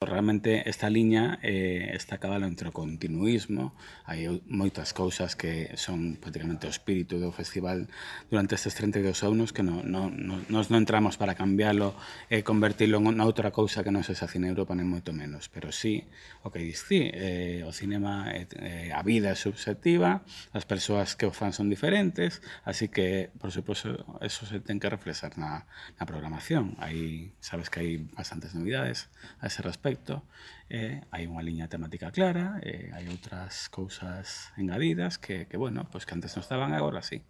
Realmente esta liña está a cabalo entre o continuísmo, hai moitas cousas que son prácticamente o espírito do festival durante estes 32 anos que nos non entramos para cambiálo e convertilo en outra cousa que non sexa Cine Europa nem moito menos, pero sí, o que dis ti, o cinema, a vida é subxectiva, as persoas que o fan son diferentes, así que, por suposto, eso se ten que reflexar na programación. Sabes que hai bastantes novidades a ese respecto. Hai unha liña temática clara, hai outras cousas engadidas que, bueno, pues que antes non estaban, agora sí.